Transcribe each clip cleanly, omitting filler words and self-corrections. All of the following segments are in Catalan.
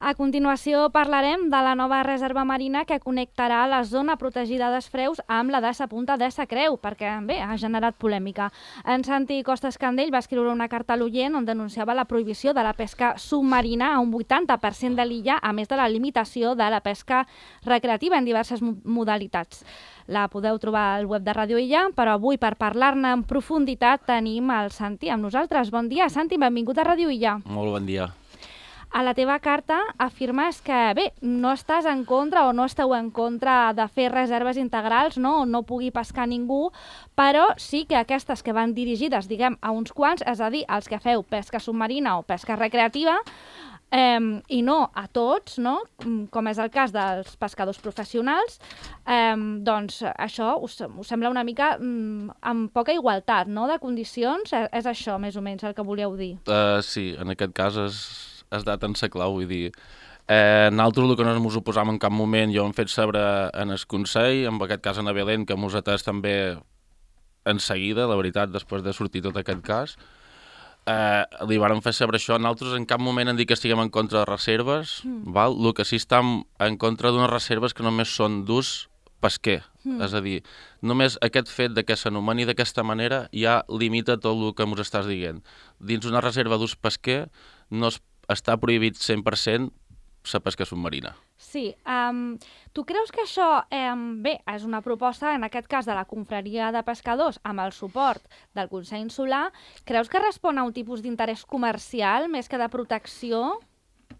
A continuació parlarem de la nova reserva marina que connectarà la zona protegida d'Esfreus amb la de Sa Punta de Sa Creu, perquè bé, ha generat polèmica. En Santi Costa Escandell va escriure una carta a l'Oient on denunciava la prohibició de la pesca submarina a un 80% de l'illa, a més de la limitació de la pesca recreativa en diverses modalitats. La podeu trobar al web de Ràdio Illa, però avui per parlar-ne en profunditat tenim el Santi amb nosaltres. Bon dia, Santi, benvingut a Ràdio Illa. Molt bon dia. A la teva carta afirmes que, bé, no estàs en contra o no esteu en contra de fer reserves integrals, no? On no pugui pescar ningú, però sí que aquestes que van dirigides, diguem, a uns quants, és a dir, els que feu pesca submarina o pesca recreativa, i no a tots, no? Com és el cas dels pescadors professionals, doncs això us sembla una mica amb poca igualtat, no?, de condicions. És això, més o menys, el que volíeu dir. Sí, en aquest cas has dat en sa clau, vull dir, nosaltres el que no ens oposam en cap moment, jo hem fet saber en el Consell, en aquest cas en Belén, que mos atès també en seguida, la veritat, després de sortir tot aquest cas, li vàrem fer saber això. Nosaltres en cap moment hem dit que estiguem en contra de reserves, val? El que sí estem en contra d'unes reserves que només són d'ús pesquer, és a dir, només aquest fet de que s'anomeni d'aquesta manera ja limita tot el que ens estàs dient. Dins una reserva d'ús pesquer no està prohibit 100% la pesca submarina. Sí. Tu creus que això, bé, és una proposta, en aquest cas de la confraria de pescadors, amb el suport del Consell Insular, creus que respon a un tipus d'interès comercial més que de protecció?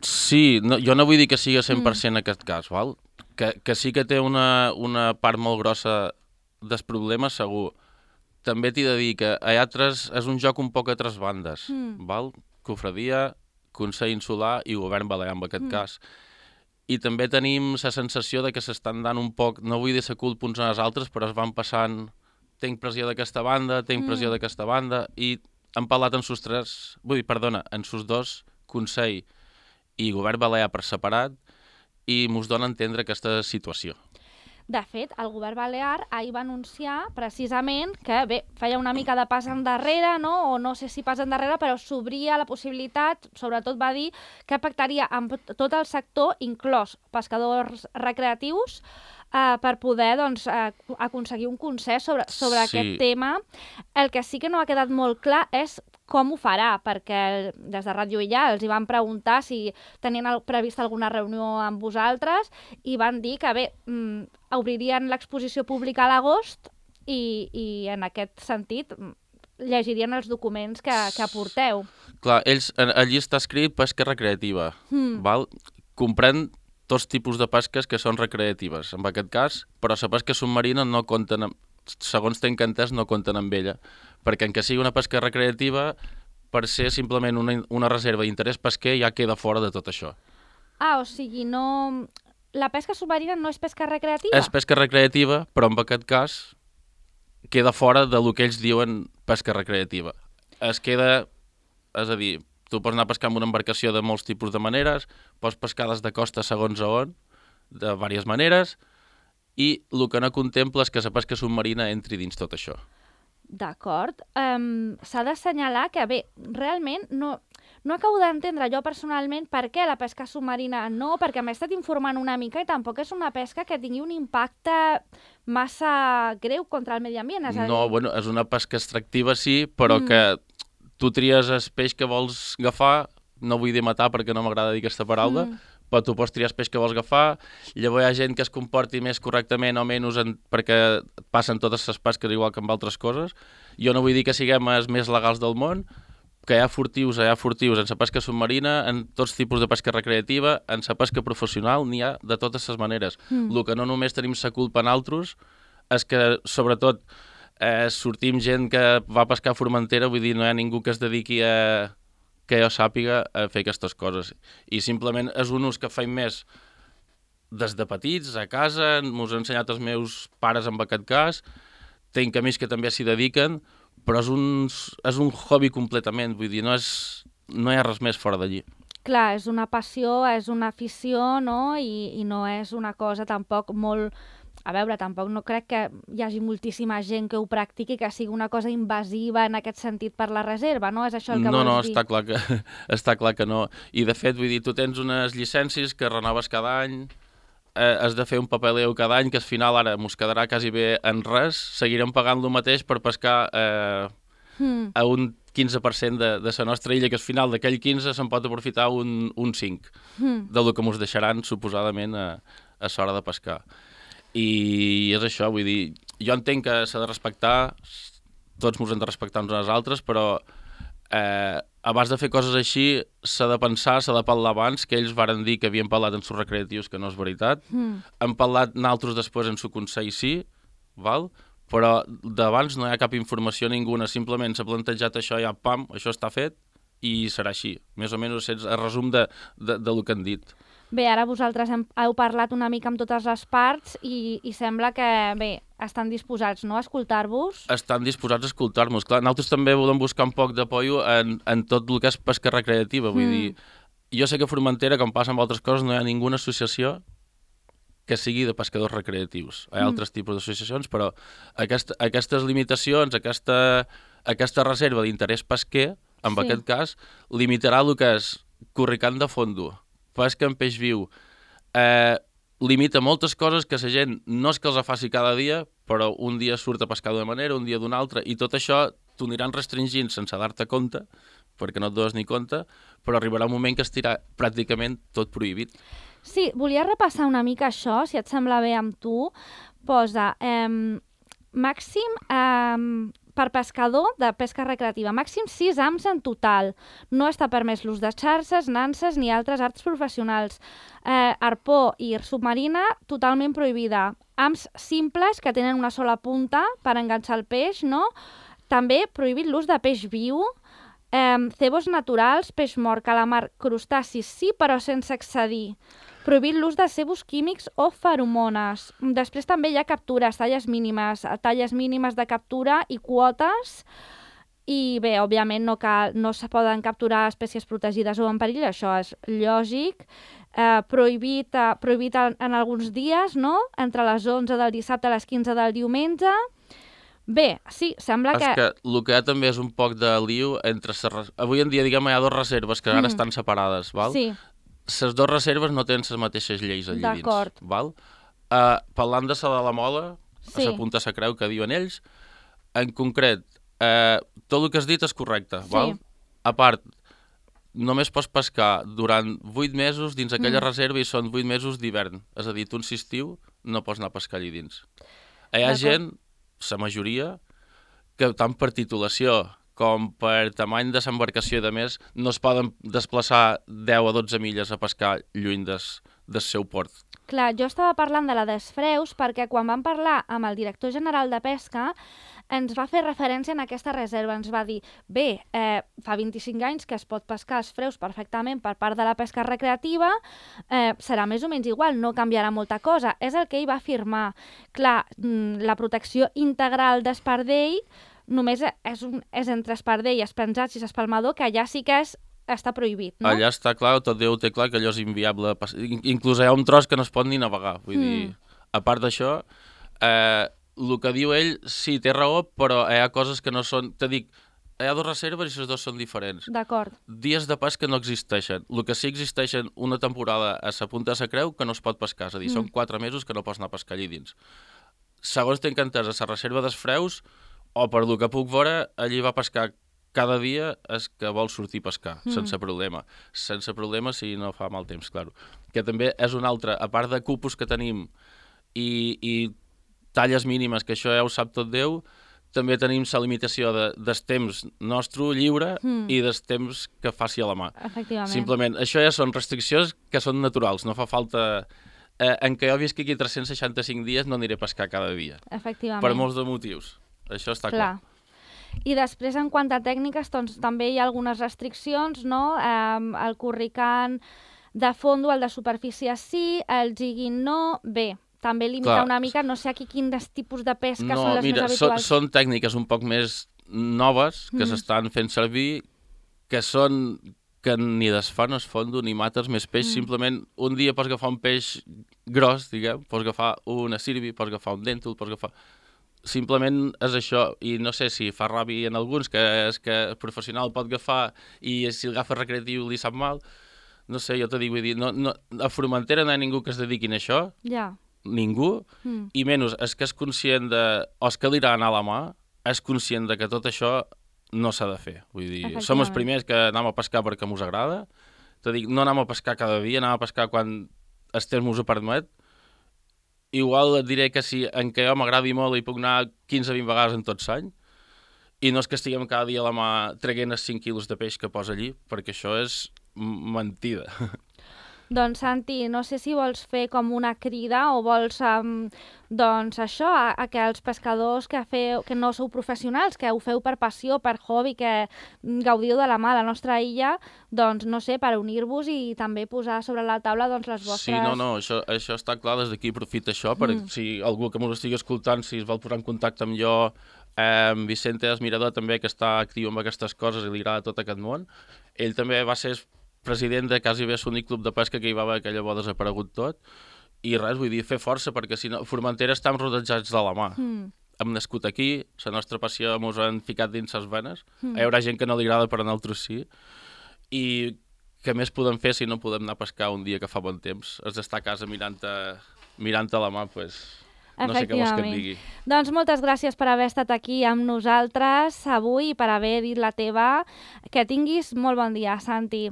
Sí, jo no vull dir que sigui 100% en aquest cas, val? Que sí que té una part molt grossa del problema, segur. També t'he de dir que és un joc un poc a tres bandes, val? Confraria, Consell Insular i Govern Balear, en aquest cas. I també tenim la sensació de que s'estan dant un poc, no vull dir la culpa uns als altres, però es van passant, tinc pressió d'aquesta banda, tinc pressió d'aquesta banda, i han parlat en sus dos, Consell i Govern Balear per separat, i mos dona a entendre aquesta situació. De fet, el govern balear ahir va anunciar precisament que, bé, feia una mica de pas endarrere, no? O no sé si pas endarrere, però s'obria la possibilitat, sobretot va dir que pactaria amb tot el sector, inclòs pescadors recreatius, per poder doncs, aconseguir un consens sobre aquest tema. El que sí que no ha quedat molt clar és com ho farà, perquè des de Ràdio Illa els hi van preguntar si tenien prevista alguna reunió amb vosaltres i van dir que, bé, obririen l'exposició pública a l'agost i en aquest sentit llegirien els documents que aporteu. Clar, allí està escrit pesca recreativa, val? Comprèn tots tipus de pesques que són recreatives, en aquest cas, però la pesca submarina no compten, segons tenc entès, no compten amb ella, perquè en que sigui una pesca recreativa, per ser simplement una reserva d'interès pesquer ja queda fora de tot això. O sigui, no... La pesca submarina no és pesca recreativa? És pesca recreativa, però en aquest cas queda fora del que ells diuen pesca recreativa. És a dir, tu pots anar a pescar amb una embarcació de molts tipus de maneres, pots pescar des de costa segons a on, de diverses maneres, i el que no contempla és que la pesca submarina entri dins tot això. D'acord. S'ha d'assenyalar que, bé, realment no acabo d'entendre jo personalment per què la pesca submarina no, perquè m'he estat informant una mica i tampoc és una pesca que tingui un impacte massa greu contra el medi ambient. No, bueno, és una pesca extractiva, sí, però que tu tries el peix que vols agafar, no vull dir matar perquè no m'agrada dir aquesta paraula, però tu pots triar el peix que vols agafar, llavors hi ha gent que es comporti més correctament o menys perquè passen totes les pesques igual que amb altres coses. Jo no vull dir que siguem els més legals del món, que hi ha furtius en la pesca submarina, en tots tipus de pesca recreativa, en la pesca professional, n'hi ha de totes les maneres. El que no només tenim la culpa en altres és que, sobretot, sortim gent que va pescar a Formentera, vull dir, no hi ha ningú que es dediqui que jo sàpiga a fer aquestes coses. I simplement és un ús que feim més des de petits, a casa, m'ho han ensenyat els meus pares en aquest cas, tinc amics que també s'hi dediquen, però és un hobby completament, vull dir, no hi ha res més fora d'allí. Clar, és una passió, és una afició, no? I no és una cosa tampoc molt a veure, tampoc no crec que hi hagi moltíssima gent que ho practiqui, que sigui una cosa invasiva en aquest sentit per la reserva, no? És això el que vols dir? No, està clar que no. I de fet, vull dir, tu tens unes llicències que renoves cada any, has de fer un papeleo cada any, que al final ara mos quedarà quasi bé en res, seguirem pagant lo mateix per pescar a un 15% de la nostra illa, que al final d'aquell 15 se'n pot aprofitar un 5 del que mos deixaran suposadament a l'hora de pescar. I és això, vull dir, jo entenc que s'ha de respectar, tots mos hem de respectar uns als altres, però abans de fer coses així s'ha de pensar, s'ha de parlar abans, que ells varen dir que havien parlat en sus recreatius, que no és veritat. Han parlat naltros després en su consell, sí, val? Però d'abans no hi ha cap informació ninguna, simplement s'ha plantejat això, ja pam, això està fet i serà així. Més o menys és el resum de lo que han dit. Bé, ara vosaltres heu parlat una mica amb totes les parts i sembla que, bé, estan disposats, no?, a escoltar-vos. Estan disposats a escoltar-nos. Clar, nosaltres també volem buscar un poc d'apoio en tot el que és pesca recreativa. Vull dir, jo sé que a Formentera, com passa amb altres coses, no hi ha ninguna associació que sigui de pescadors recreatius. Hi ha altres tipus d'associacions, però aquestes limitacions, aquesta reserva d'interès pesquer, en aquest cas, limitarà el que és corricant de fondo, pesca en peix viu, limita moltes coses que la gent no és que els faci cada dia, però un dia surt a pescar d'una manera, un dia d'una altra, i tot això t'ho aniran restringint sense dar-te compte, perquè no et dones ni compte, però arribarà un moment que estirà pràcticament tot prohibit. Sí, volia repassar una mica això, si et sembla bé amb tu. Posa, màxim, per pescador de pesca recreativa, màxim 6 ams en total. No està permès l'ús de xarxes, nanses ni altres arts professionals. Arpó i submarina, totalment prohibida. Ams simples, que tenen una sola punta per enganxar el peix, no? També prohibit l'ús de peix viu, cebos naturals, peix mort, calamar, crustacis, sí, però sense excedir. Prohibit l'ús de cebos químics o feromones. Després també hi ha captures, talles mínimes de captura i quotes. I bé, òbviament no se poden capturar espècies protegides o en perill, això és lògic. Prohibit en alguns dies, no? Entre les 11 del dissabte a les 15 del diumenge. Bé, sí, sembla que... És que el que hi ha també és un poc de liu entre... Avui en dia, diguem, hi ha 2 reserves que ara estan separades, val? Sí. Les 2 reserves no tenen les mateixes lleis allà dins. D'acord. Val? Parlant de la de la Mola, a la punta se creu que diuen ells, en concret, tot el que has dit és correcte, val? A part, només pots pescar durant 8 mesos dins aquella reserva i són 8 mesos d'hivern. És a dir, tu en estiu no pots anar a pescar allà dins. Hi ha gent, la majoria, que tant per titulació com per tamany de l'embarcació i de més, no es poden desplaçar 10 a 12 milles a pescar lluny del seu port. Clar, jo estava parlant de la d'Esfreus perquè quan vam parlar amb el director general de pesca ens va fer referència en aquesta reserva. Ens va dir, bé, fa 25 anys que es pot pescar als freus perfectament per part de la pesca recreativa, serà més o menys igual, no canviarà molta cosa. És el que ell va afirmar. Clar, la protecció integral d'espardell només és entre espardell, espenjats i espalmador, que allà sí que està prohibit, no? Allà està clar, tot Déu té clar que allò és inviable. Inclús hi ha un tros que no es pot ni navegar. Vull dir, a part d'això, el que diu ell, sí, té raó, però hi ha coses que no són... Te dic, hi ha 2 reserves i les 2 són diferents. D'acord. Dies de pesca no existeixen. El que sí existeixen una temporada a la punta de la creu que no es pot pescar. És a dir, són 4 mesos que no pots anar a pescar allà dins. Segons tinc entès, a la reserva dels freus, o per el que puc veure, allí va pescar cada dia és que vol sortir a pescar, sense problema. Sense problema si no fa mal temps, clar. Que també és un altre, a part de cupos que tenim i talles mínimes, que això ja ho sap tot Déu, també tenim la limitació del temps nostre lliure i del temps que faci a la mà. Efectivament. Simplement, això ja són restriccions que són naturals, no fa falta... En què jo visqui aquí 365 dies no aniré a pescar cada dia. Efectivament. Per molts de motius. Això està clar. I després, en quant a tècniques, doncs, també hi ha algunes restriccions, no? El corricant de fondo, el de superfície sí, el jigging no... Bé, també limitar una mica, no sé aquí quins tipus de pesca són les més habituals. Són tècniques un poc més noves que s'estan fent servir, que que ni desfà, no es fondo, ni mates més peix, simplement un dia pots agafar un peix gros, diguem, pots agafar una sirvi, pots agafar un dèntol, pots agafar... Simplement és això, i no sé si fa ràbia en alguns, que és que el professional pot agafar i si el agafa recreatiu li sap mal. No sé, jo t'ho dic, vull dir, a Formentera no hi ha ningú que es dediqui a això, ningú, i menys és que és conscient de, o és que li agrada anar a la mà, és conscient de que tot això no s'ha de fer. Vull dir, som els primers que anem a pescar perquè mos agrada, t'ho dic, no anem a pescar cada dia, anem a pescar quan el temps mos ho permet. Igual et diré que si en què jo m'agradi molt hi puc anar 15-20 vegades en tot l'any, i no és que estiguem cada dia a la mà traient els 5 quilos de peix que posa allí, perquè això és mentida. Doncs, Santi, no sé si vols fer com una crida o vols, doncs, això, a que els pescadors que no sou professionals, que ho feu per passió, per hobby, que gaudiu de la mà a la nostra illa, doncs, no sé, per unir-vos i també posar sobre la taula doncs, les vostres... Sí, no, això està clar, des d'aquí aprofita això, perquè si algú que m'ho estigui escoltant, si es vol posar en contacte amb jo, Vicente Esmirador també, que està actiu amb aquestes coses i li agrada tot aquest món, ell també va ser president de quasi bé l'únic club de pesca que hi va haver, que llavors desaparegut tot, i res, vull dir, fer força, perquè si no, Formentera estem rodejats de la mà. Hem nascut aquí, la nostra passió mos han ficat dins les venes, hi haurà gent que no li agrada, però a nosaltres sí, i què més podem fer si no podem anar a pescar un dia que fa bon temps? És d'estar a casa mirant a la mà, doncs... No sé què vols que et digui. Doncs moltes gràcies per haver estat aquí amb nosaltres avui i per haver dit la teva. Que tinguis molt bon dia, Santi.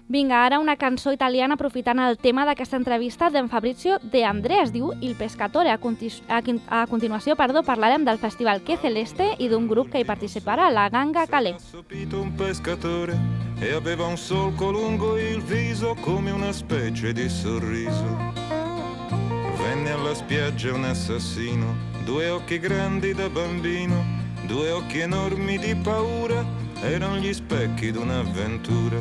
Vinga, ara una cançó italiana aprofitant el tema d'aquesta entrevista d'en Fabrizio De André, es diu Il Pescatore. A continuació, parlarem del Festival Que Celeste i d'un grup que hi participarà, la Ganga Calais. Un pescatore e aveva un solco lungo il viso come una specie di sorriso. Venne alla spiaggia un assassino, 2 occhi grandi da bambino, 2 occhi enormi di paura, erano gli specchi d'un'avventura.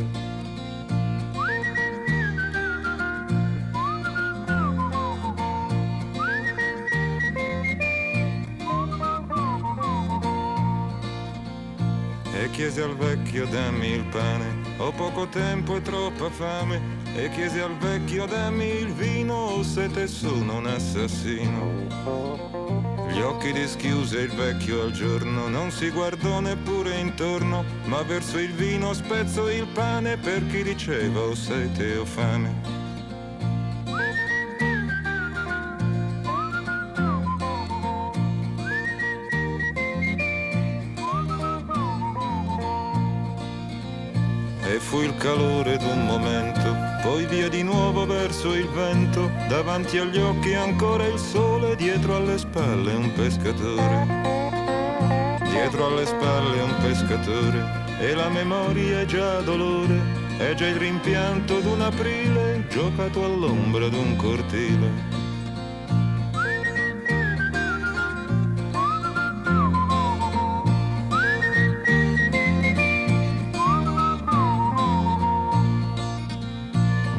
E chiese al vecchio dammi il pane, ho poco tempo e troppa fame. E chiese al vecchio dammi il vino, o siete sono un assassino. Gli occhi dischiuse il vecchio al giorno, non si guardò neppure intorno, ma verso il vino spezzò il pane per chi diceva o sete o fame. E fu il calore d'un momento, poi via di nuovo verso il vento, davanti agli occhi ancora il sole, dietro alle spalle un pescatore. Dietro alle spalle un pescatore, e la memoria è già dolore, è già il rimpianto d'un aprile, giocato all'ombra d'un cortile.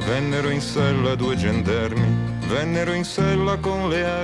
Vennero in sella 2 gendarmi, vennero in sella con le armi.